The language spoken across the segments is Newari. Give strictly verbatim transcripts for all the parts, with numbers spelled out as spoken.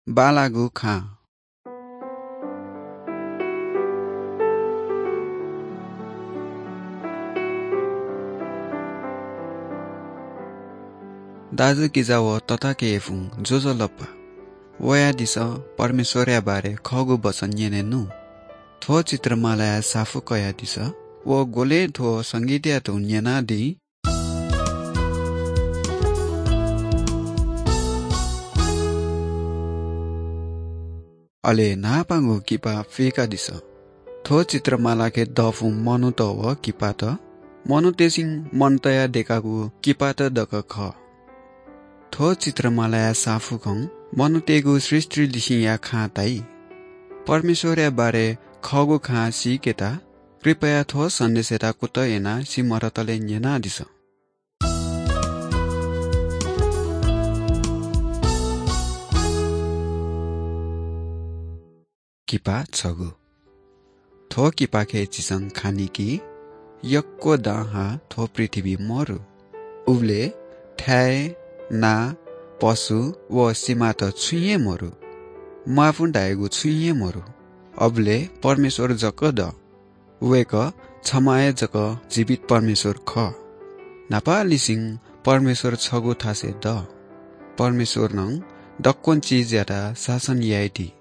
बांलाःगु खां। दाजुकिजा व तताकेहेँपुं ज्वजलपा। वयादिसँ परमेश्वरया बारे खःगु वचन न्यनेनु। थ्व चित्रमालाया साफु कयादिसँ व ग्वलें थ्व संगीतया धुन न्यनादी। अले न्हापांगु किपा फय्कादिसँ। थ्व चित्रमालाके दःपुं मनूत व किपात, मनूतय्‌सिं मन तयाः दय्कागु किपात दक खः। थ्व चित्रमालाया साफुखं मनूतय्‌गु सृष्टिलिसिंया खां ताइ। परमेश्वरया बारे खःगु खां सीकेत कृपया थ्व सन्देशयात कुतः यानाः सिमधःतले न्यनादिसँ। किपा छगू। थ्व किपाखे झीसं खनी कि यक्व दँ हाः थ्व पृथ्वी मरु। उबलय् थाय्, ना, पशु व सिमात छुं हे मरु। म्वाःपुं धायेगु छुं हे मरु। अबलय् परमेश्वर जक दः। वय्कः छम्ह हे जक जीवित परमेश्वर खः। न्हापांनिसें परमेश्वर छगू थासय् दः। परमेश्वरं दक्वं चिजयात शासन याइदी।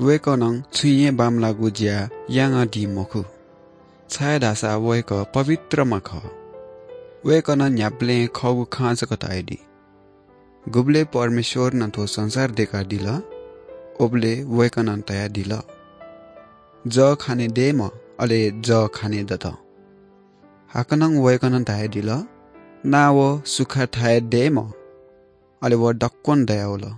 वय्कलं छुं हे बांमलाःगु ज्या यानादी मखु, छाय्धाःसा वय्कः पवित्रम्ह खः। वय्कलं न्ह्याबलें खःगु खँ जक धयादी। गुबलय् परमेश्वरं थ्व संसार दय्कादिल, उबलय् वय्कलं धयादिल, "जः खाने दयेमा," अले जः खाने दत। हाकनं वय्कलं धयादिल, "ना व सुखा थाय् दयेमा," अले व दक्वं दयावल।